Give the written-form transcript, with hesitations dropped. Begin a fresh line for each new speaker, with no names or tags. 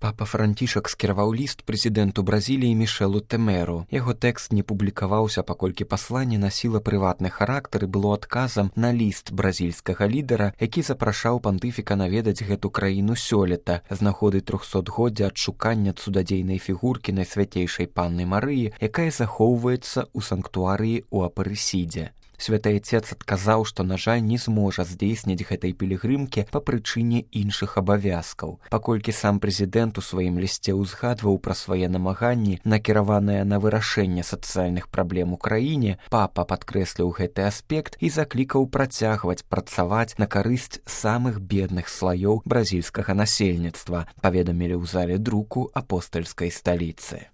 Папа Францішак скіраваў ліст прэзідэнту Бразіліі Мішэлу Тэмеру. Яго тэкст не публікаваўся, паколькі пасланне насіла прыватны характар і было адказам на ліст бразільскага лідара, які запрашаў пантыфіка наведаць гэту краіну сёлета з нагоды 300-годдзя адшукання цудадзейнай фігуркі Найсвяцейшай Панны Марыі, якая захоўваецца ў санктуарыі ў Апарысідзе. Святы Айцец адказаў, што, на жаль, не зможа здзейсніць гэтай пілігрымкі па прычыне іншых абавязкаў. Паколькі сам прэзідэнт у сваім лісце ўзгадваў пра свае намаганні, накіраваныя на вырашэнне сацыяльных праблем у краіне, папа падкрэсліў гэты аспект і заклікаў працягваць працаваць на карысць самых бедных слаёў бразільскага насельніцтва, паведамілі ў зале друку апостальскай сталіцы.